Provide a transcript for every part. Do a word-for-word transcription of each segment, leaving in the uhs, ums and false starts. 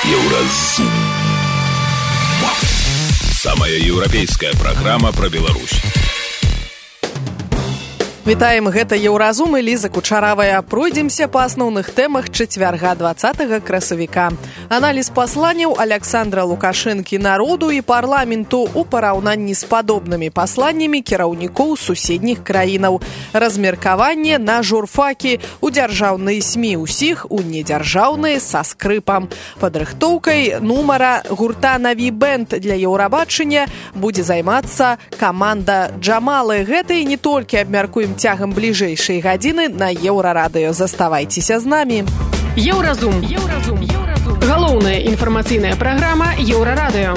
Еўразум. Самая еўрапейская праграма пра Беларусь. Вітаем, гэта Еўразум і Ліза Кучаравая. Пройдземся па асноўных тэмах чацвярга дваццатага красавіка. Аналіз пасланняў Александра Лукашэнкі народу і парламенту ў параўнанні з падобнымі пасланнямі кіраўнікоў суседніх краінаў. Размеркаванне на журфакі у дзяржаўныя СМІ ўсіх, у недзяржаўныя са скрыпам. Падрыхтоўкай нумара гурта «Наві бэнд» для Еўрабачання будзе займацца каманда Джамалы. Гэта і не толькі абмяркуем цягам бліжэйшай гадзіны на Еўрарадыё. Заставайцеся з намі. Еўразум. Еўразум. Еўразум. Галоўная інфармацыйная праграма Еўрарадыё.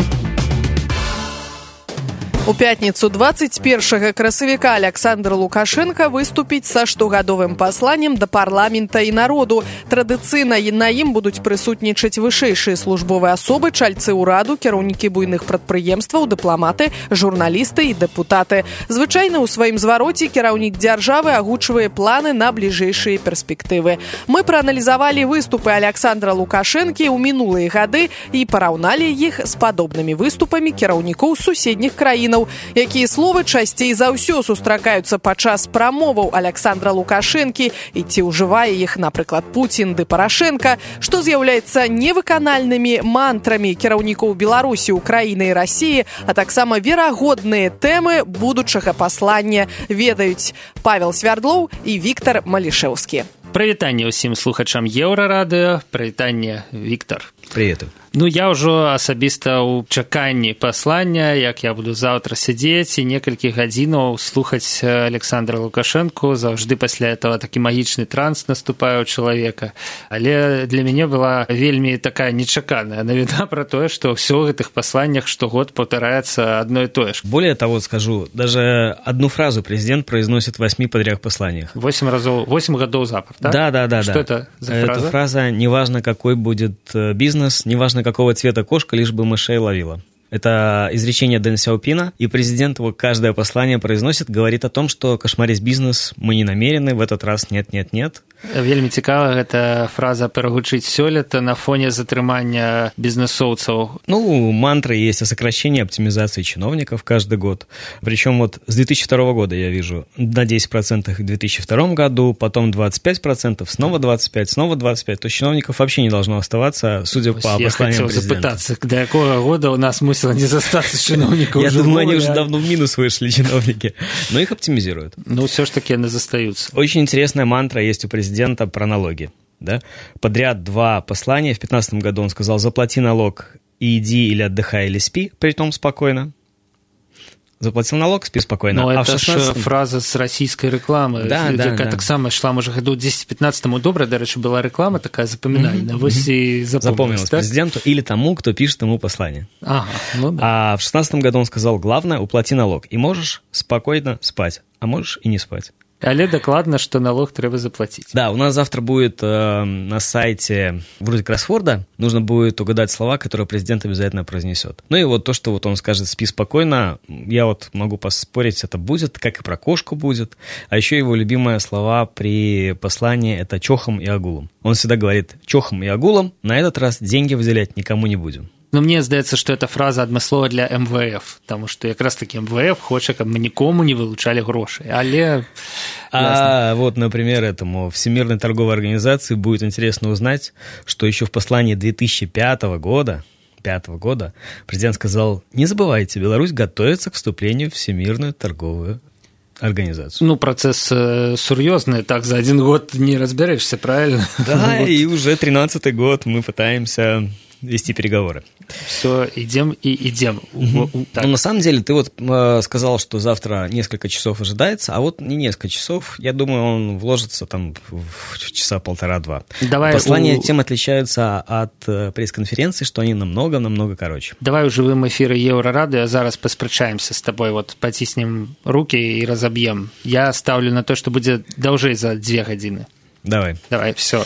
У пятніцу дваццаць першага красавіка Александр Лукашенко выступіць са штогадовым пасланнем да парламента і народу. Традыцыйна на ім будуць прысутнічаць вышэйшыя службовыя асобы, чальцы ўраду, кіраўнікі буйных прадпрыемстваў, дыпламаты, журналісты і дэпутаты. Звычайна ў сваім звароце кіраўнік дзяржавы агучвае планы на бліжэйшыя перспектывы. Мы прааналізавалі выступы Александра Лукашэнкі ў мінулыя гады і параўналі іх з падобнымі выступамі кіраўнікоў суседніх краін, якія словы часцей за ўсё сустракаюцца падчас прамоваў Александра Лукашэнкі і ці ўжывае іх, напрыклад, Пуцін ды Парашенка, што з'яўляецца невыканальнымі мантрамі кіраўнікоў Беларусі, Украіны і Расіі, а таксама верагодныя тэмы будучага паслання ведаюць Павел Свярдлоў і Віктор Малішэўскі. Прывітанне ўсім слухачам Еўрарадыё. Прывітанне, Віктор. Привет. Ну, я ўжо асабіста ў чаканні паслання, як я буду заўтра сядзець і некалькі гадзінаў слухаць Александра Лукашэнку. Заўжды пасля этого такі магічны транс наступае ў чалавека. Але для мяне была вельмі такая нечаканая навіна пра тое, што ўсё ў гэтых пасланнях штогод паўтараецца одно и то же. Более того скажу, даже одну фразу президент произносит в восьми подряд посланиях. Восемь разов, восемь годов запад, да? Да, да, да. Что да. это за фраза? Эта фраза «неважно, какой будет бизнес, неважно, какого цвета кошка, лишь бы мышей ловила». Это изречение Дэн Сяопина, и президент его каждое послание произносит, говорит о том, что кошмарить бизнес мы не намерены, в этот раз нет-нет-нет. Вельмі цікава гэта фраза перагучыць сёлета на фоне затрымання бізнесоўцаў. Ну, мантры есть о сокращении оптимизации чиновников каждый год. Причем вот с две тысячи второго года я вижу на десять процентов в две тысячи втором году, потом двадцать пять процентов, снова двадцать пять процентов, снова двадцать пять процентов. То есть чиновников вообще не должно оставаться, судя по посланиям президента. Я хотел запытаться, до какого года у нас мусило не застаться чиновников? Я думаю, они уже давно в минус вышли, чиновники. Но их оптимизируют. Ну, все ж таки они застаются. Очень интересная мантра есть у президента про налоги. Да? Подряд два послания. В две тысячи пятнадцатом году он сказал: заплати налог и иди или отдыхай, или спи, притом спокойно. Заплатил налог, спи спокойно. Но а это шестнадцатом... ж фраза з расійскай рэкламы, да, да, якая да. таксама ішла, можа, году десять-пятнадцатому. Добра, дарэчы, была рэклама такая запамінальная. Mm-hmm. Вось і запомнилась, запомнилась так? Президенту или тому, кто пишет ему послание. Ага, ну да. А в шестнадцатом году он сказал: главное, уплати налог, и можешь спокойно спать, а можешь и не спать. Але докладно, что налог треба заплатить. Да, у нас завтра будет э, на сайте вроде кроссворда, нужно будет угадать слова, которые президент обязательно произнесет. Ну и вот то, что вот он скажет «спи спокойно», я вот могу поспорить, это будет, как и про кошку будет. А еще его любимые слова при послании – это «чохом и агулом». Он всегда говорит «чохом и агулом, на этот раз деньги выделять никому не будем». Но мне здаецца, што эта фраза адмыслова для эм вэ эф, таму што якраз таки эм вэ эф хоча, каб мы нікому не вылучалі грошай, але... А вот, например, этому Всемирной торговой организации будет интересно узнать, что еще в послании две тысячи пятого года, пятого года президент сказал: не забывайте, Беларусь готовится к вступлению в Всемирную торговую организацию. Ну, процесс э, сур'ёзны, так за один год не разберешься, правильно? Да, и уже тринадцатый год мы пытаемся вести переговоры. Все, идем и идем. Mm-hmm. Ну, на самом деле, ты вот э, сказал, что завтра несколько часов ожидается, а вот не несколько часов, я думаю, он вложится там в часа полтора-два. Давай Послания у... тем отличаются от э, пресс-конференции, что они намного-намного короче. Давай у живым эфире Еврорадио зараз паспрачаемся с тобой, вот потиснем руки и разобьем. Я ставлю на то, что будет даўжэй за две гадзіны. Давай. Давай, все.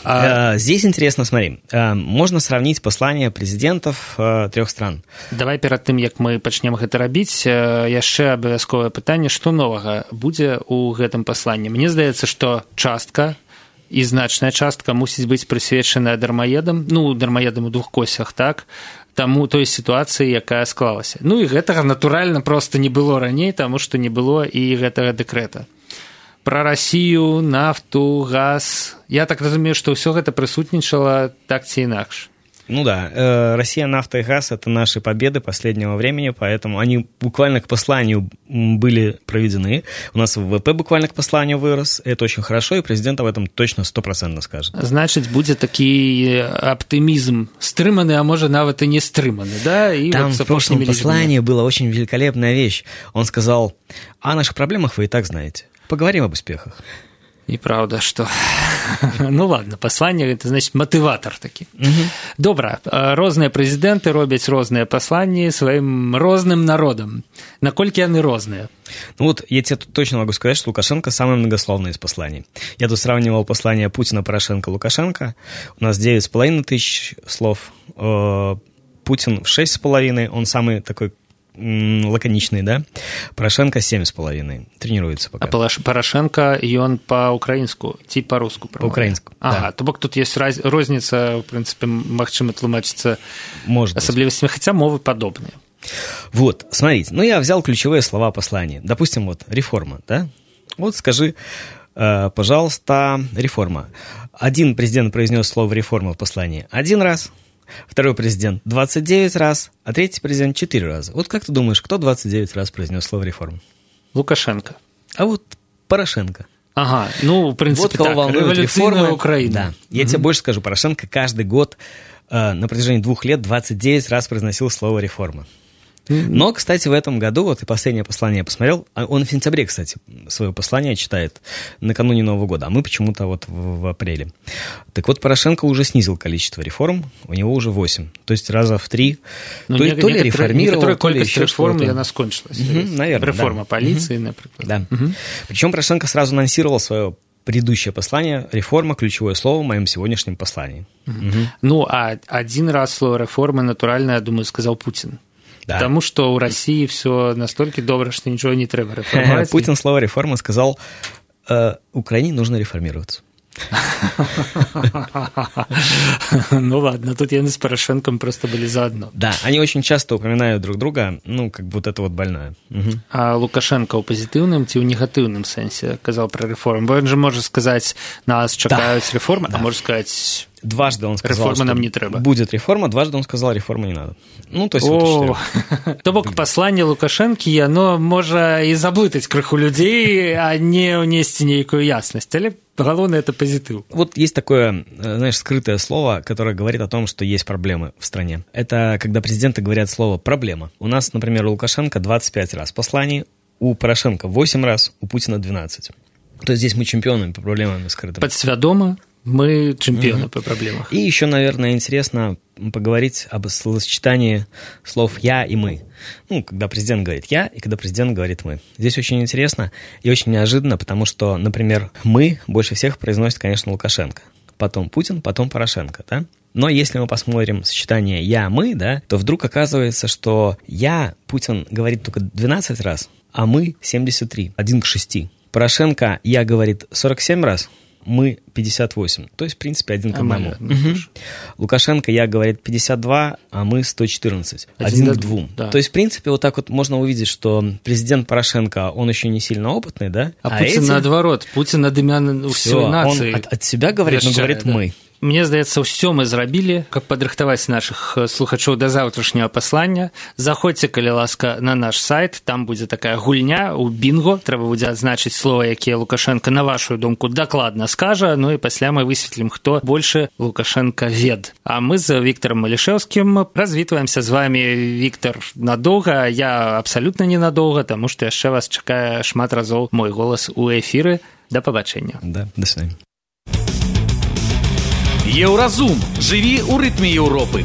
А... Здесь интересно, смотри, можно сравнить послания президентов трех стран. Давай перад тым, як мы пачнем гэта рабіць, яшчэ абавязковае пытанне, што новага будзе ў гэтым пасланні. Мне здаецца, што частка і значная частка мусіць быць прысвечаная дармаедам, ну, дармаедам у двухкосях, так, таму той сітуацыі, якая склалася. Ну, і гэтага, натуральна, проста не было раней, таму што не было і гэтага дэкрэта. Пра Расію, нафту, газ... Я так разумею, што ўсё гэта прысутнічала так ці інакш. Ну да, э, Россия, нафта и газ – это наши победы последнего времени, поэтому они буквально к посланию были проведены. У нас ВВП буквально к посланию вырос, это очень хорошо, и президент об этом точно стопроцентно скажет. Значит, будет такой оптимизм стрыманы, а может, нават и не стрыманы, да? И там вот в прошлом послании была очень великолепная вещь. Он сказал, о наших проблемах вы и так знаете, поговорим об успехах. І правда, што... Ну ладно, пасланне, гэта, значит, матыватар такі. Угу. Добра, розныя прэзідэнты робяць розныя пасланні сваім розным народам. Наколькі яны розныя? Ну вот, я тебе точно могу сказать, что Лукашенко самый многословный из посланий. Я тут сравнивал послания Путина, Порошенко, Лукашенко. У нас девять с половиной тысяч слов. Путин в шесть с половиной, он самый такой лаконичный, да? Порошенко семь с половиной. Тренируется пока. А Порошенко, ён по-украинску, ці по-руску? По-украинску, ага, да. То бок тут есть раз, розница, в принципе, магчыма тлумачыцца асаблівасцямі, хотя мовы подобные. Вот, смотрите, ну я взял ключевые слова послания. Допустим, вот, реформа, да? Вот скажи, э, пожалуйста, реформа. Один президент произнес слово реформа в послании один раз, второй президент двадцать девять раз, а третий президент четыре раза. Вот как ты думаешь, кто двадцать девять раз произнес слово реформа? Лукашенко. А вот Порошенко. Ага, ну, в принципе, вот так, революционная Украина. Да. Я угу. тебе больше скажу, Порошенко каждый год э, на протяжении двух лет двадцать девять раз произносил слово реформа. Но, кстати, в этом году, вот и последнее послание я посмотрел, он в сентябре, кстати, свое послание читает накануне Нового года, а мы почему-то вот в, в апреле. Так вот, Порошенко уже снизил количество реформ, у него уже восемь, то есть раза в три. Ну, то, не, то ли реформировал, то ли колькость реформ, она скончилась. Угу, наверное, реформа да. полиции, угу. например. Да. Угу. Причем Порошенко сразу анонсировал свое предыдущее послание, реформа, ключевое слово в моем сегодняшнем послании. Угу. Угу. Ну, а один раз слово реформы, натурально, я думаю, сказал Путин. Да. Потому что у России все настолько добро, что ничего не треба реформировать. Путин слово реформа сказал, э, Украине нужно реформироваться. Ну ладно, тут я с Порошенком просто были заодно. Да, они очень часто упоминают друг друга, ну, как бы вот это вот больное. Угу. А Лукашенко у позитивном ці у негативном сенсе казал про реформу? Бо он же может сказать, нас чекают да. реформы, да. а может сказать... Дважды он сказал, реформа нам не треба. Будет реформа, дважды он сказал, реформы не надо. Ну, то есть вот то бок посланне Лукашэнкі, яно можа і заблытаць крыху людзей, а не ўнесці нейкую яснасць. Але главное это позитив. Вот есть такое, знаешь, скрытое слово, которое говорит о том, что есть проблемы в стране. Это когда президенты говорят слово «проблема». У нас, например, у Лукашенко двадцать пять раз посланий, у Порошенко восемь раз, у Путина двенадцать. То есть здесь мы чемпионы по проблемам скрытым. Подсвядомо мы чемпионы mm-hmm. по проблемам. И еще, наверное, интересно поговорить об словосочетании слов «я» и «мы». Ну, когда президент говорит «я» и когда президент говорит «мы». Здесь очень интересно и очень неожиданно, потому что, например, «мы» больше всех произносит, конечно, Лукашенко. Потом Путин, потом Порошенко, да? Но если мы посмотрим сочетание «я», «мы», да, то вдруг оказывается, что «я» Путин говорит только двенадцать раз, а «мы» семьдесят три, один к шести. Порошенко «я» говорит сорок семь раз, мы пятьдесят восемь, то есть, в принципе, один к одному. Угу. Лукашенко «я» говорит пятьдесят два, а мы сто четырнадцать, один, один к двум. Да. То есть, в принципе, вот так вот можно увидеть, что президент Порошенко, он еще не сильно опытный, да? А, а Путин эти... наоборот, Путин над імя всей нации. Он от, от себя говорит, но говорит да. «мы». Мне здаецца, ўсё мы зрабілі, каб падрыхтаваць нашых слухачоў да заўтрашняга паслання. Заходзьце, калі ласка, на наш сайт, там будзе такая гульня у бінго, трэба будзе адзначыць слова, якія Лукашенко, на вашу думку, дакладна скажа, ну і пасля мы высветлім, хто больше Лукашенко вед. А мы з Віктором Малішэўскім развітваемся з вами, Віктор, надоўга, я абсалютна ненадоўга, таму што яшчэ вас чакае шмат разоў мой голас у эфіры. Да пабачэння. Да, да свидания. Еўразум. Жыві ў рытме Еўропы.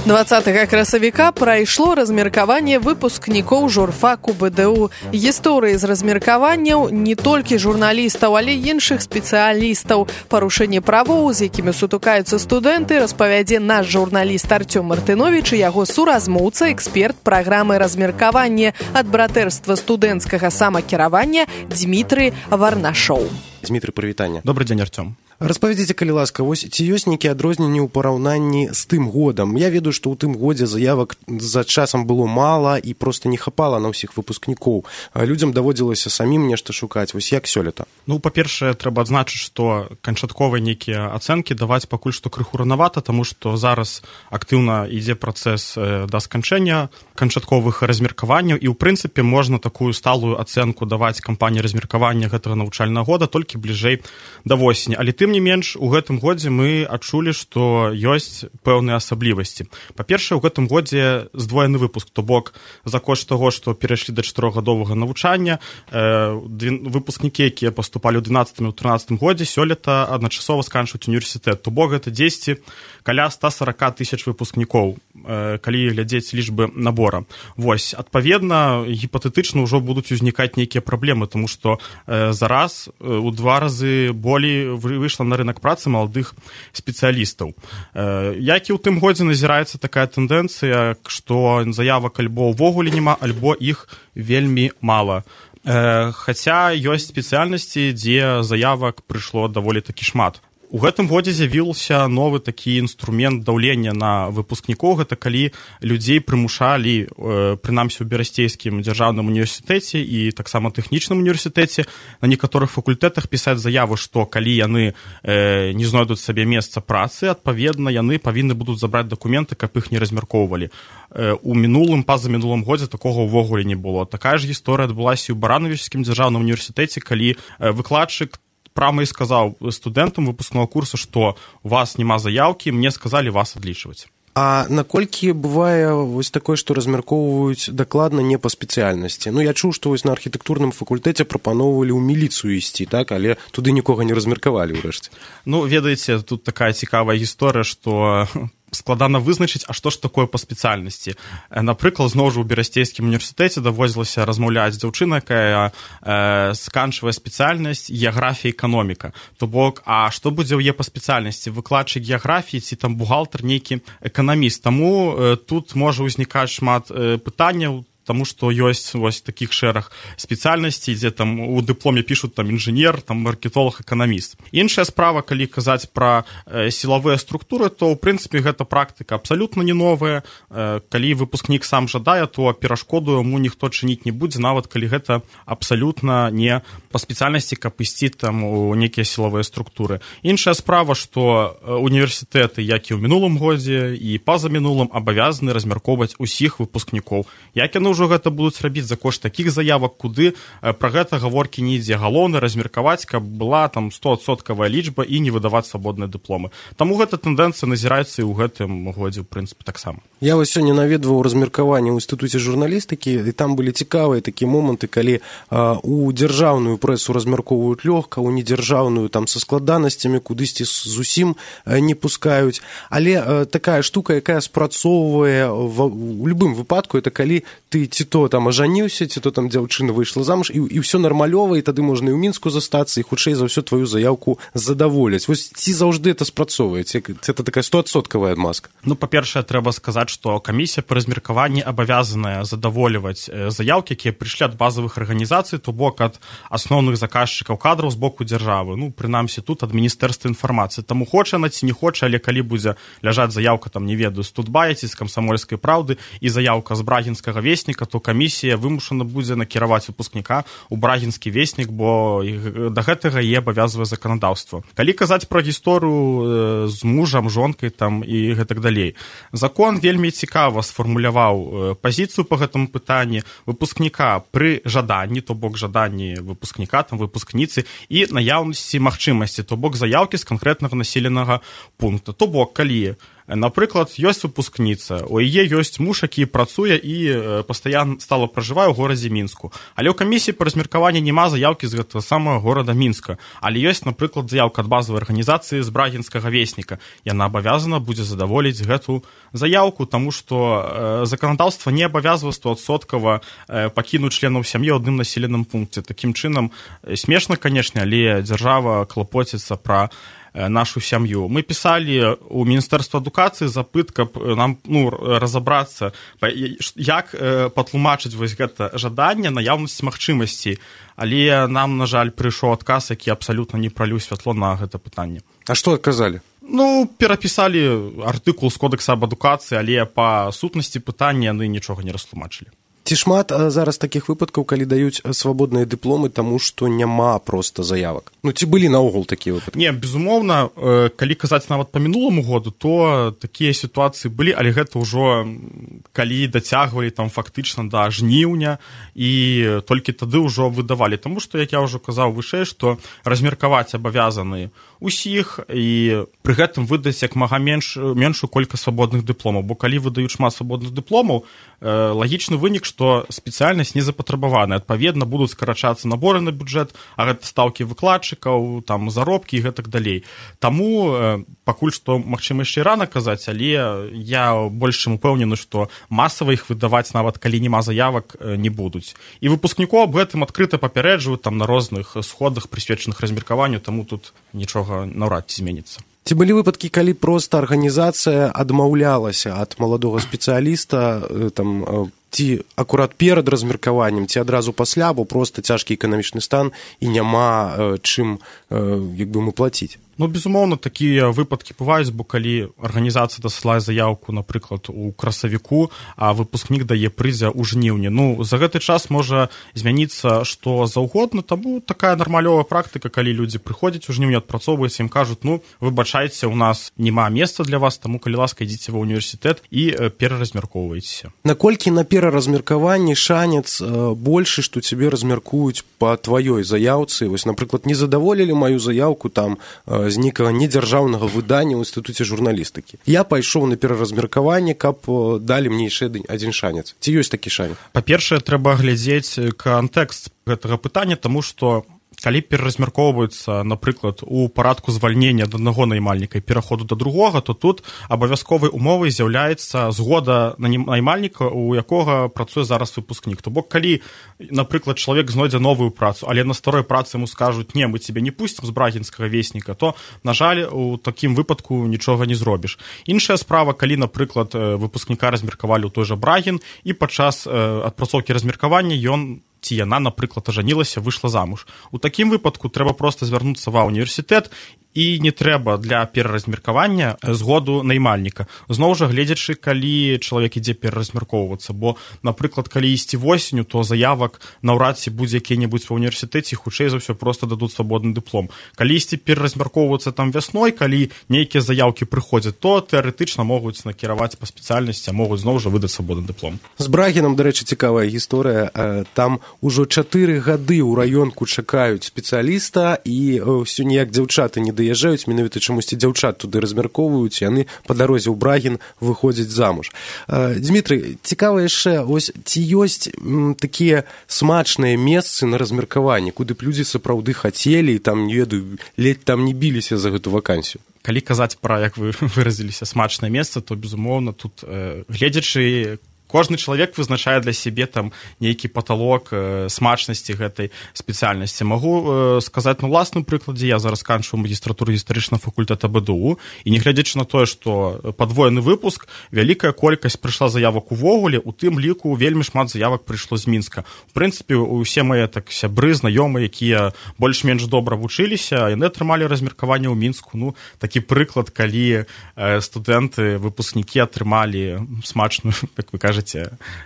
дваццатага красавіка прайшло размеркаванне выпускнікоў журфаку БДУ. Гісторыі з размеркаванняў не толькі журналістаў, але і іншых спецыялістаў. Парушэнне правоў, з якімі сутыкаюцца студэнты, распавядзе наш журналіст Артём Мартыновіч і яго суразмоўца, эксперт праграмы размеркавання ад братэрства студэнцкага самакіравання Дмітрый Варнашоў. Дмітрый, прывітанне. Добрый дзень, Артём. Распавядзіце, калі ласка, вось ці ёсць нейкія адрозненні ў параўнанні з тым годам? Я ведаю, што ў тым годзе заявак за часам было мала і проста не хапала на ўсіх выпускнікоў. Людзям даводзілася самім нешта шукаць. Вось як сёлета? Ну, па-першае, трэба адзначыць, што канчатковыя нейкія ацэнкі даваць пакуль што крыху ранавата, таму што зараз актыўна ідзе працэс да сканчэння канчатковых размеркаванняў і, ў прынцыпе, можна такую сталую ацэнку даваць кампаніі размеркавання гэтага навучальнага года толькі бліжэй да восені. Але тым не менш, у гэтым годзе мы адчулі, што ёсць пэўныя асаблівасці. Па-першае, у гэтым годзе здвоены выпуск, то бок за кошт таго, што перайшлі да чатырохгадовага навучання, э, выпускнікі, якія паступалі ў дванаццатым і трынаццатым годзе, сёлета адначасова сканчваюць універсітэт. То бок гэта дзесьці каля ста сорок тысяч выпускнікоў, э, калі глядзець лічбы набора. Вось, адпаведна, гіпатэтычна ўжо будуць узнікаць нейкія праблемы, тому што э, зараз э, у два разы болей выйшла на рынок працы маладых спецыялістаў. Э, як і ў тым годзе назіраецца такая тэндэнцыя, што заявак альбо ўвогуле няма, альбо іх вельмі мала. Э, хаця ёсць спецыяльнасці, дзе заявак прыйшло даволі такі шмат. У гэтым годзе з'явіўся новы такі інструмент даўлення на выпускнікоў. Гэта калі людзей прымушалі, э, прынамсі ў Берасцейскім дзяржаўным універсітэце і таксама тэхнічным універсітэце на некаторых факультэтах пісаць заявы, што калі яны э, не знойдуць сабе месца працы, адпаведна, яны павінны будуць забраць дакументы, каб іх не размяркоўвалі. Э, у мінулым, пазамінулым годзе такога ўвогуле не было. Такая ж гісторыя адбылася і ў Баранавічскім дзяржаўным універсітэце, калі э, выкладчык прямо і сказаў студэнтам выпускного курса, што у вас няма заяўкі, мне сказалі вас адлічваць. А наколькі бывае вось такое, што размяркоўваюць дакладна не па спецыяльнасці? Ну, я чуў, што вось на архітэктурным факультэце прапаноўвалі ў міліцыю ісці, так? Але туды нікога не размеркавалі ўрэшце. Ну, ведаеце, тут такая цікавая гісторыя, што складана вызначыць, а што ж такое па спецыяльнасці. Напрыклад, зноў жа ў Берасцейскім універсітэце даводзілася размаўляць з дзяўчынай, якая э, сканчвае спецыяльнасць геаграфія і эканоміка. То бок, а што будзе ў яе па спецыяльнасці? Выкладчык геаграфіі ці там бухгалтар, нейкі эканаміст. Таму э, тут можа ўзнікаць шмат э, пытанняў, тому што ёсць вось такіх шэраг спецыяльнасцей, дзе там у дыпломе пішуць там інжынер, там маркетолог, эканаміст. Іншая справа, калі казаць пра э, сілавыя структуры, то ў прынцыпе гэта практыка абсалютна не новая. Э, калі выпускнік сам жадае, то перашкоду яму ніхто чыніць не будзе, нават калі гэта абсалютна не па спецыяльнасці, каб ісці там у нейкія сілавыя структуры. Іншая справа, што універсітэты, як і ў мінулым годзе і пазамінулым, абавязаны размяркоўваць усіх выпускнікоў. Як яны ўжо гэта будуць рабіць за кошт такіх заявак, куды пра гэта гаворкі не ідзе. Галоўна размеркаваць, каб была там стоадсоткавая лічба і не выдаваць свабодныя дыпломы. Таму гэта тэндэнцыя назіраецца і ў гэтым годзе, у прынцыпе, таксама. Я вось сёння наведваў размеркаванне ў інстытуце журналістыкі, і там былі цікавыя такія моманты, калі а, у дзяржаўную прэсу размяркоўваюць лёгка, у недзяржаўную там са складанасцямі, кудысьці зусім а, не пускаюць. Але а, такая штука, якая спрацоўвае в, у любым выпадку, это калі ты ці то там ажаніўся, ці то там дзяўчына выйшла замуж, і, і ўсё нармалёва, і тады можна і ў Мінску застацца, і хутчэй за ўсё тваю заявку задаволяць. Вось ці заўжды это спрацоўвае? Ці это такая стоадсоткавая адмазка? Ну, па-першае, трэба сказаць, што камісія па размеркаванні абавязаная задаволіваць заявкі, якія прыйшлі ад базавых арганізацый, то бок ад асноўных заказчыкаў кадраў з боку дзяржавы. Ну, прынамсі, тут ад Міністэрства інфармацыі. Таму хоча яна ці не хоча, але калі будзе ляжаць заявка, там, не ведаю, з Тутбая ці з Камсамольскай праўды і заявка з Брагінскага весніка, то камісія вымушана будзе накіраваць выпускніка ў Брагінскі веснік, бо да гэтага і абавязвае заканадаўства. Калі казаць пра гісторыю з мужам, жонкай там і гэтак далей. Закон вельмі цікава сфармуляваў пазіцыю па гэтаму пытанні выпускніка пры жаданні, то бок жаданні выпускніка, там выпускніцы і наяўнасці магчымасці, то бок заявкі з канкрэтнага населенага пункта. То бок, калі Напрыклад, ёсць выпускніца, у яе ёсць муж, які працуе і пастаянна стала пражывае ў горадзе Мінску. Але ў камісіі па размеркаванні няма заяўкі з гэтага самага горада Мінска. Але ёсць, напрыклад, заяўка ад базавай арганізацыі з брагінскага весніка. Яна абавязана будзе задаволіць гэту заяўку, таму што заканадаўства не абавязвае стовадсоткава пакінуць членаў сям'і ў адным населеным пункце. Такім чынам, смешна, канешне, але дзяржава клапоціцца пра нашу сям'ю. Мы пісалі ў Міністэрства адукацыі запыт, каб нам ну, разабрацца, як патлумачыць вось гэта жаданне, наяўнасць магчымасцей. Але нам, на жаль, прыйшоў адказ, які абсалютна не праліў святло на гэта пытанне. А што адказалі? Ну, перапісалі артыкул з кодекса аб адукацыі, але па сутнасці пытання яны нічога не растлумачылі. Ці шмат зараз такіх выпадкаў, калі даюць свабодныя дыпломы, таму што няма проста заявак? Ну, ці былі наогул такія выпадкі? Не, безумоўна, калі казаць нават па мінуламу году, то такія сітуацыі былі, але гэта ўжо калі дацягвалі там фактычна да жніўня і толькі тады ўжо выдавалі. Таму што, як я ўжо казаў вышэй, што размеркаваць абавязаны усіх і пры гэтым выдаць як мага менш, меншую колькасць свабодных дыпломаў. Бо калі выдаюць шмат свабодных дыпломаў, лагічны вынік, што спецыяльнасць не запатрабаваная. Адпаведна, будуць скарачацца наборы на бюджэт, а гэта стаўкі выкладчыкаў, там, заробкі і гэтак далей. Таму пакуль што, магчыма, яшчэ рана казаць, але я больш чым упэўнены, што масава іх выдаваць, нават калі няма заявак, не будуць. І выпускнікоў аб гэтым адкрыта папярэджваюць там на розных сходах, прысвечаных размеркаванню, таму тут нічога наўрад ці зменіцца. Ці былі выпадкі, калі проста арганізацыя адмаўлялася ад маладога спецыяліста, там, ці акурат перад размеркаваннем, ці адразу пасля, бо проста цяжкі эканамічны стан і няма чым, як бы, мы плаціць? Ну, безумоўна, такія выпадкі бываюць, бо калі арганізацыя дасылае заяўку, напрыклад, у красавіку, а выпускнік дае прызя ў жніўні. Ну, за гэты час можа змяніцца што заўгодна, таму такая нармалёвая практыка, калі людзі прыходзяць у жніўні, адпрацоўваюць, ім кажуць, ну, выбачайце, у нас няма месца для вас, таму, калі ласка, ідзіце ва ўніверсітэт і пераразмяркоўвайцеся. Наколькі на пераразмеркаванні шанец большы, што цябе размяркуюць па тваёй заяўцы? Вось, напрыклад, не задаволілі маю заяўку там з нейкага недзяржаўнага выдання ў інстытуце журналістыкі. Я пайшоў на пераразмеркаванне, каб далі мне яшчэ адзін шанец. Ці ёсць такі шанец? Па-першае, трэба глядзець кантэкст гэтага пытання, таму што калі пераразмяркоўваецца, напрыклад, у парадку звальнення ад аднаго наймальніка і пераходу да другога, то тут абавязковай умовай з'яўляецца згода наймальніка, у якога працуе зараз выпускнік. То бок, калі, напрыклад, чалавек знойдзе новую працу, але на старой працы яму скажуць, не, мы цябе не пусцім з брагінскага весніка, то, на жаль, у такім выпадку нічога не зробіш. Іншая справа, калі, напрыклад, выпускніка размеркавалі ў той жа Брагін, і падчас адпрацоўкі размеркавання ён ці яна, напрыклад, ажанілася, выйшла замуж. У такім выпадку трэба проста звярнуцца ва ўніверсітэт, і не трэба для пераразмеркавання згоду наймальніка. Зноў жа, гледзячы, калі чалавек ідзе пераразмяркоўвацца, бо, напрыклад, калі ісці восенню, то заявак наўрад ці будзе які-небудзь ва ўніверсітэце, хутчэй за ўсё проста дадуць свабодны дыплом. Калі ісці пераразмяркоўвацца там вясной, калі нейкія заявкі прыходзяць, то тэарэтычна могуць накіраваць па спецыяльнасці, а могуць зноў жа выдаць свабодны дыплом. З Брагінам, дарэчы, цікавая гісторыя. Там ужо чатыры гады ў раёнку чакаюць спецыяліста, і ўсё ніяк дзяўчаты не даязджаюць, менавіта чамусьці дзяўчат туды размяркоўваюць, яны па дарозе ў Брагін выходзяць замуж. Дмітрый, цікава яшчэ, ось ці ёсць такія смачныя месцы на размеркаванні, куды б людзі сапраўды хацелі і там, не ведаю, ледь там не біліся за гэту вакансію? Калі казаць пра, як вы выразіліся, смачнае месца, то, безумоўна, тут э, гледзячы, кожны чалавек вызначае для сябе там нейкі паталог э, смачнасці гэтай спецыяльнасці. Магу э, сказаць на ўласным прыкладзе, я зараз канчу магістратуру гістарычнага факультэта БДУ, і нягледзячы на тое, што падвоены выпуск, вялікая колькасць прыйшла заявак увогуле, у тым ліку вельмі шмат заявак прыйшло з Мінска. У прынцыпе, усе мае так сябры, знаёмыя, якія больш-менш добра вучыліся, яны атрымалі размеркаванне ў Мінску. Ну, такі прыклад, калі э, студэнты, выпускнікі атрымалі смачную, як вы кажаце,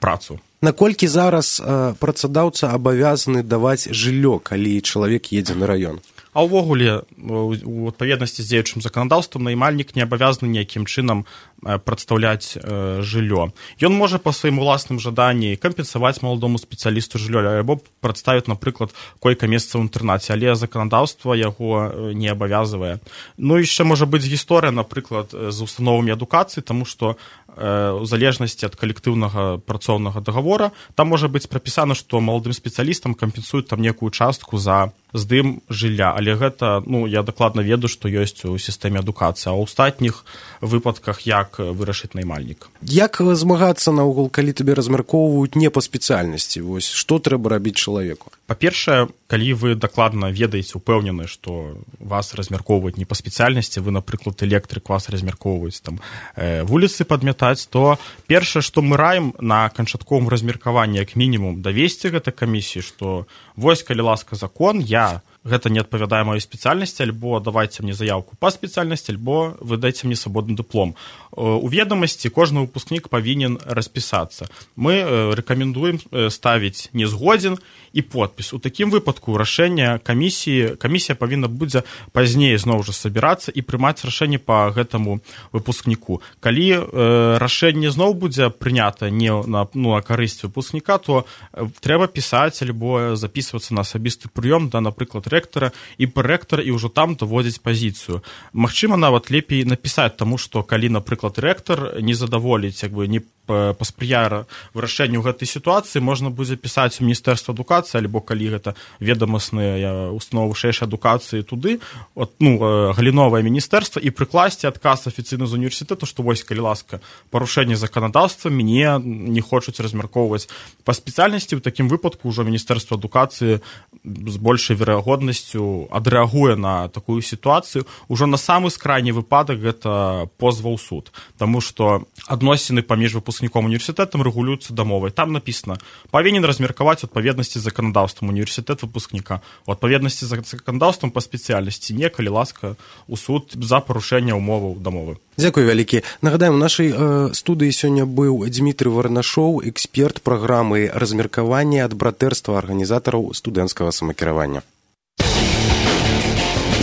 працу. Наколькі зараз э, працадаўца абавязаны даваць жыллё, калі чалавек едзе на раён? А ўвогуле у адпаведнасці з дзеючым заканадаўствам наймальнік не абавязаны ніякім чынам прадстаўляць жыллё. Ён можа па сваім уласным жаданні кампенсаваць маладому спецыялісту жыллё, альбо прадставіць, напрыклад, койка-месца ў інтэрнаце, але заканадаўства яго не абавязвае. Ну, яшчэ можа быць гісторыя, напрыклад, з установамі адукацыі, таму што у залежнасці ад калектыўнага працоўнага дагавора там можа быць прапісана, што маладым спецыялістам кампенсуюць там некую частку за здым жылля, але гэта, ну, я дакладна ведаю, што ёсць у сістэме адукацыі, а ў астатніх выпадках як вырашыць наймальнік. Як змагацца наогул, калі табе размяркоўваюць не па спецыяльнасці? Вось што трэба рабіць чалавеку? Па-першае, калі вы дакладна ведаеце, упэўнены, што вас размяркоўваюць не па спецыяльнасці, вы, напрыклад, электрык, вас размяркоўваюць там вуліцы падмятаць, то першае, што мы раім на канчатковым размеркаванні, як мінімум, давесці гэта камісіі, што вось, калі ласка, закон, я гэта не адпавядае маёй спецыяльнасці, альбо давайце мне заявку па спецыяльнасці, альбо вы дайце мне свабодны дыплом. У ведамасці кожны выпускнік павінен распісацца. Мы рэкамендуем ставіць не згодзін і подпіс. У такім выпадку рашэнне камісіі, камісія павінна будзе пазней зноў жа сабірацца і прымаць рашэнне па гэтаму выпускніку. Калі э, рашэнне зноў будзе прынята не на, ну, на карысць выпускніка, то трэба пісаць альбо запісвацца на асабісты прыём да, напрыклад, рэктара і прэктара, і ўжо там даводзіць пазіцыю. Магчыма, нават лепей напісаць, таму што калі, напрыклад, рэктар не задаволіць, як бы не паспрыяе вырашэнню гэтай сітуацыі, можна будзе пісаць у Міністэрства адукацыі, альбо калі гэта ведамасныя установы вышэйшай адукацыі туды, от, ну, галіновае міністэрства, і прыкласці адказ афіцыйна з універсітэту, што вось, калі ласка, парушэнне заканадаўства, мяне не хочуць размяркоўваць па спецыяльнасці. У такім выпадку ўжо Міністэрства адукацыі з большай верагоднасцю адрэагуе на такую сітуацыю. Ужо на самы скрайні выпадак гэта позва ў суд, таму што адносіны паміж выпускніком універсітэтам рэгулююцца дамовай. Там напісана, павінен размеркаваць у адпаведнасці з заканадаўствам універсітэт выпускніка, у адпаведнасці з заканадаўствам па спецыяльнасці, не, калі ласка, у суд за парушэнне ўмоваў дамовы. Дзякуй вялікі. Нагадаем, у нашай э, студыі сёння быў Дмітрый Варнашоў, эксперт праграмы размеркавання ад братэрства арганізатараў студэнцкага самакіравання.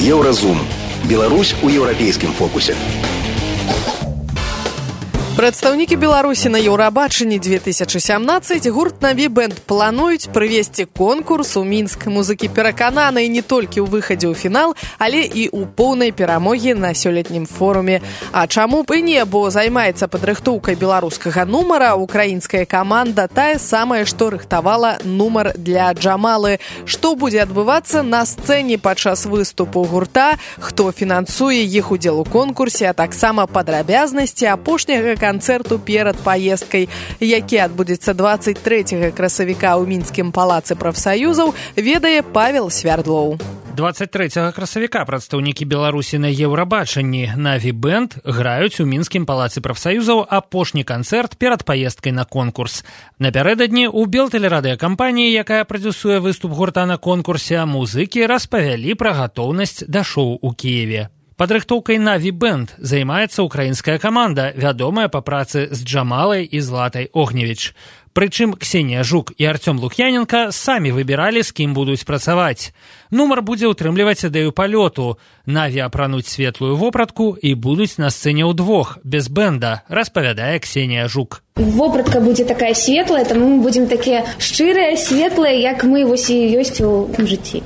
Еўразум. Беларусь у еўрапейскім фокусе. Прадстаўнікі Беларусі на Еўрабачанні две тысячы сямнаццаць гурт «Наві бэнд» плануюць правесці конкурс у Мінск. Музыкі перакананы не толькі ў выхадзе ў фінал, але і ў поўнай перамогі на сёлетнім форуме. А чаму б і не, бо займаецца падрыхтоўкай беларускага нумара украінская каманда, тая самая, што рыхтавала нумар для Джамалы. Што будзе адбывацца на сцэне падчас выступу гурта, хто фінансуе іх удзел у конкурсе, а таксама падрабязнасці апошняга канцэрту перад паездкай, які адбудзецца дваццаць трэцяга красавіка ў мінскім палацы прафсаюзаў, ведае Павел Свярдлоў. дваццаць трэцяга красавіка прадстаўнікі Беларусі на Еўрабачанні «Наві бэнд» граюць у мінскім палацы прафсаюзаў апошні канцэрт перад паездкай на конкурс. Напярэдадні ў Белтэлерадыёкампаніі, якая прадзюсуе выступ гурта на конкурсе, музыкі распавялі пра гатоўнасць да шоу ў Кіеве. Падрыхтоўкай «Наві бэнд» займаецца украінская каманда, вядомая па працы з Джамалай і Златай Огневіч. Прычым Ксенія Жук і Арцём Лук'яненка самі выбіралі, з кім будуць працаваць. Нумар будзе ўтрымліваць ідэю палёту. Наві апрануць светлую вопратку і будуць на сцэне ўдвох, без бэнда, распавядае Ксенія Жук. Вопратка будзе такая светлая, таму мы будзем такія шчырыя, светлыя, як мы вось і ёсць у жыцці.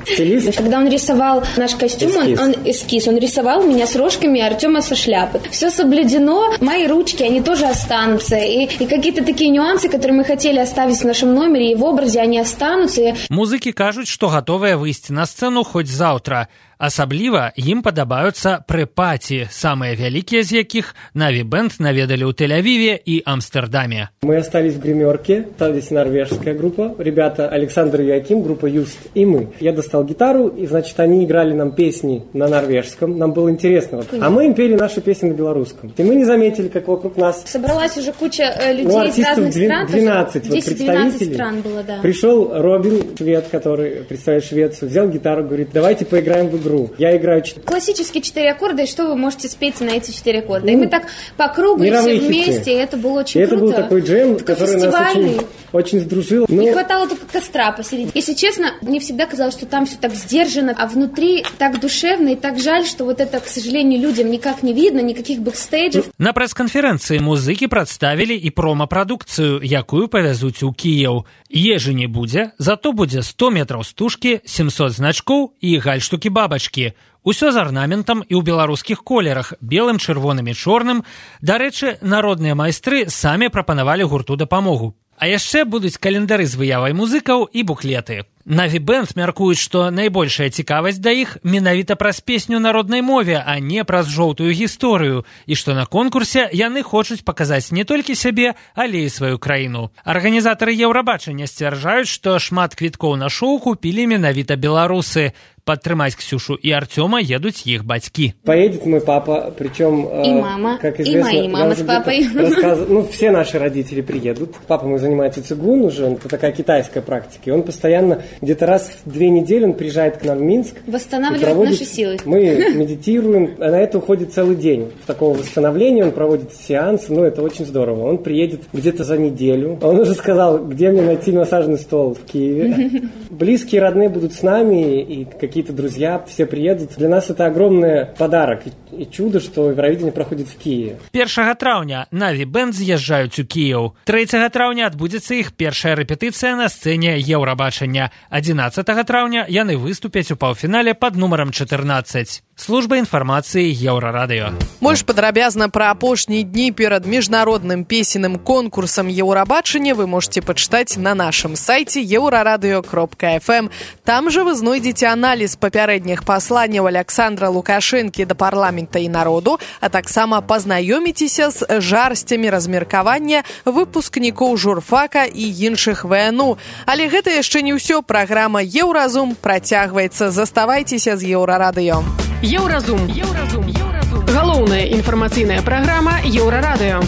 Когда он рисовал наш костюм, эскиз. Он, он эскиз, он рисовал меня с рожками, Артема со шляпы. Все соблюдено, мои ручки, они тоже останутся. И, и какие-то такие нюансы, которые мы хотели оставить в нашем номере, и в образе они останутся. Музыкі кажуць, што гатовыя выйсці на сцэну хоць заўтра. Асабліва ім падабаюцца прэ-паці, самыя вялікія з якіх «Наві бэнд» наведалі ў Тель-Авиве и Амстердаме. Мы остались в гримерке, там здесь норвежская группа, ребята Александр и Яким, группа Юст и мы. Я достал гитару, и, значит, они играли нам песни на норвежском, нам было интересно. А мы им пели наши песни на белорусском. И мы не заметили, как вокруг нас... Собралась уже куча э, людей ну, из разных стран. двенадцать вот, представителей. Стран было, да. Пришел Робин, швед, который представляет Швецию, взял гитару, говорит, давайте поиграем в игру. игру. Я играю... Классические четыре аккорда, и что вы можете спеть на эти четыре аккорда. Ну, и мы так по кругу и все вместе, хиты. И это было очень и круто. Это был такой джем, такой который нас очень, очень сдружил. Но... Не хватало только костра посередине. Если честно, мне всегда казалось, что там все так сдержано, а внутри так душевно и так жаль, что вот это, к сожалению, людям никак не видно, никаких бэкстейджев. На прэс-канферэнцыі музыкі прадставілі і прома-прадукцыю, якую павязуць у Кіеў. Ежы не будзе, зато будзе сто метраў стужкі, сямсот значкоў і гальштукі-бабачкі. Усё з арнаментам і ў беларускіх колерах, белым, чырвоным і чорным. Дарэчы, народныя майстры самі прапанавалі гурту дапамогу. А яшчэ будуць календары з выявай музыкаў і буклеты. Наві Бэнд мяркуюць, што найбольшая цікавасць да іх менавіта праз песню народнай мове, а не праз жоўтую гісторыю, і што на конкурсе яны хочуць паказаць не толькі сябе, але і сваю краіну. Арганізатары Еўрабачання сцвярджаюць, што шмат квіткоў на шоу купілі менавіта беларусы. Подтримать Ксюшу и Артема едут их батьки. Поедет мой папа, причем... И э, мама, как известно, и мои мама с папой. Рассказ... Ну, все наши родители приедут. Папа мой занимается цигун уже, это такая китайская практика. И он постоянно, где-то раз в две недели он приезжает к нам в Минск. Восстанавливает проводит... наши силы. Мы медитируем, а на это уходит целый день. В такого восстановления он проводит сеансы, ну, это очень здорово. Он приедет где-то за неделю. Он уже сказал, где мне найти массажный стол в Киеве. Близкие, родные будут с нами, и какие какие-то друзья, все приедут. Для нас это огромный подарок и чудо, что Евровидение проходит в Киеве. першага траўня Наві Бэнд з'язджаюць у Кіеў. трэцяга траўня адбудзецца іх першая рэпетыцыя на сцэне Еўрабачання. адзінаццатага траўня яны выступяць у паўфінале пад нумарам чатырнаццаць. Служба інфармацыі Еўрарадыё. Больш падрабязна пра апошнія дні перад міжнародным песенным конкурсам Еўрабачання вы можете пачытаць на нашым сайце еўрарадыё кропка эф эм. Там жа вы знойдзеце аналіз папярэдніх пасланняў Александра Лукашэнкі да парламента і народу, а таксама пазнаёміцеся з жарсцямі размеркавання выпускнікоў журфака і іншых вэ эн у. Але гэта яшчэ не ўсё. Праграма Еўразум працягваецца. Заставайцеся з Еўрарадыё. Еўразум. Еўразум. Еўразум. Галоўная інфармацыйная праграма Еўрарадыё.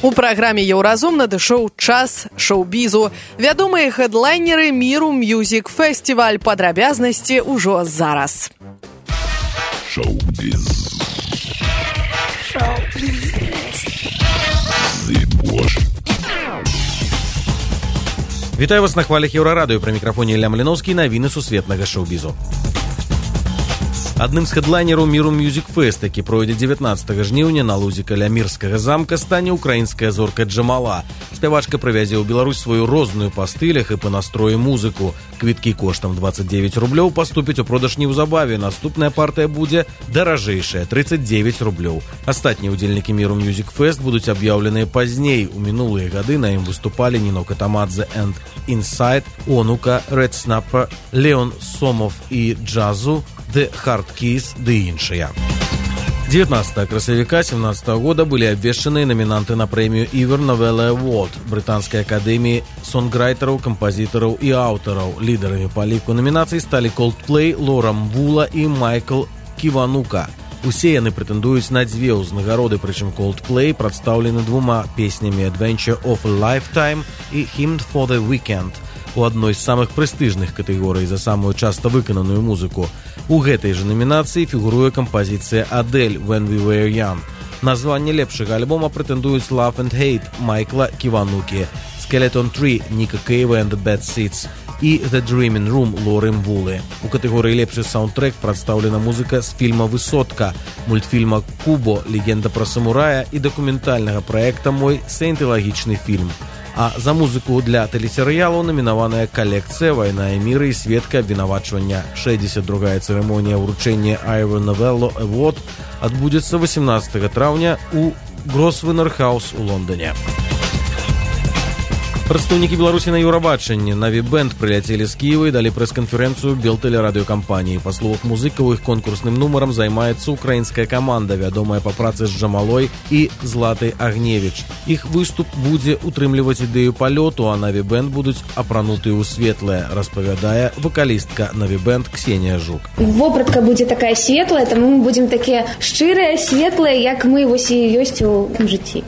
У праграме Еўразум надышоў час шоу-бізу. Вядомыя хэдлайнеры Міру Мьюзік Фестиваль. Падрабязнасці ўжо зараз. Шоу-біз. Шоу-біз. Вітаю вас на хвалях Еўрарадыё. Пры мікрафоне Ілля Маліноўскі. Навіны сусветнага шоу-бізу. Адным з хэдлайнераў Міру Мьюзік Фест, які пройдзе дзевятнаццатага жніўня на лузе каля Мірскага замка, стане украінская зорка Джамала. Спявачка прывязе ў Беларусь сваю розную па стылях і па настроі музыку. Квіткі коштам дваццаць дзевяць рублёў паступяць у продаж неўзабаве. Наступная партыя будзе даражэйшая – трыццаць дзевяць рублёў. Астатнія ўдзельнікі Міру Мьюзік Фест будуць аб'яўленыя пазней. У мінулыя гады на ім выступалі Ніно Катамадзе and Inside, Онука, Red Snapper, Леон Сомов і Джазу, The Hard Keys ды іншыя. дзевятнаццатага красавіка сямнаццатага года былі абвешчаныя намінанты на прэмію Ivor Novello Award брытанскай акадэміі сонграйтараў, кампазітараў і аўтараў. Лідарамі па ліку намінацый сталі Coldplay, Лора Мвула і Майкл Ківанука. Усе яны прэтэндуюць на дзве ўзнагароды, прычым Coldplay прадстаўлены двума песнямі Adventure of a Lifetime і Hymn for the Weekend у адной з самых прэстыжных катэгорый за самую часта выкананую музыку. У гэтай жа намінацыі фігуруе кампазіцыя Адель «When We Were Young». Названне лепшага альбома прэтэндуюць Love and Hate Майкла Ківанукі, Skeleton Tree Ніка Кейва and the Bad Seeds і The Dreaming Room Лоры Мвулы. У катэгорыі лепшы саундтрэк прадстаўлена музыка з фільма «Высотка», мультфільма «Кубо. Легенда пра самурая» і дакументальнага праекта «Мой саентылагічны фільм». А за музыку для тэлесерыялу намінаваная калекцыя «Вайна і мір» і сведка абвінавачвання. шэсцьдзесят другая цырымонія ўручэння Ivor Novello Award адбудзецца васемнаццатага траўня у Grosvenor House у Лондоне. Прадстаўнікі Беларусі на Еўрабачанні Наві Бэнд прыляцелі з Кіева і далі прэс-канферэнцыю Белтэлерадыёкампаніі. Па словах музыкаў, іх конкурсным нумарам займаецца украінская каманда, вядомая па працы з Джамалой і Златай Агневіч. Іх выступ будзе утрымліваць ідэю палёту, а Наві Бэнд будуць апрануты ў светлае, распавядае вакалістка Наві Бэнд Ксенія Жук. Вопратка будзе такая светлая, таму мы будзем такія шчырыя, светлыя, як мы вось і ёсць у жыцці.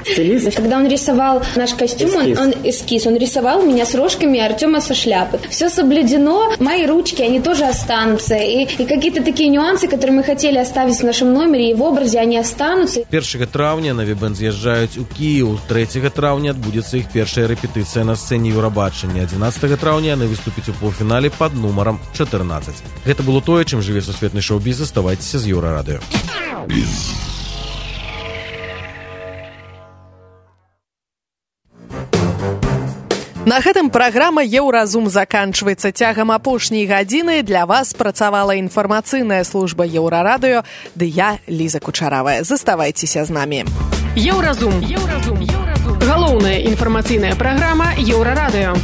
Когда он рисовал наш костюм, он, он эскиз, Он рисовал меня с рожками, Артема со шляпы. Все соблюдено, мои ручки, они тоже останутся. И, и какие-то такие нюансы, которые мы хотели оставить в нашем номере и в образе, они останутся. першага траўня на Вібэнд з'язджаюць у Кіеў. трэцяга траўня адбудзецца іх першая рэпетыцыя на сцэне Еўрабачання. адзінаццатага траўня яны выступяць у паўфінале пад нумарам чатырнаццаць. Гэта было тое, чым жыве сусветны шоу-біз. Заставайцеся з Еўрарадыё. На гэтым праграма «Еўразум» заканчваецца. Цягам апошняй гадзіны для вас працавала інфармацыйная служба Еўрарадыё, ды я, Ліза Кучаравая. Заставайцеся з намі. Еўразум. Еўразум. Галоўная інфармацыйная праграма Еўрарадыё.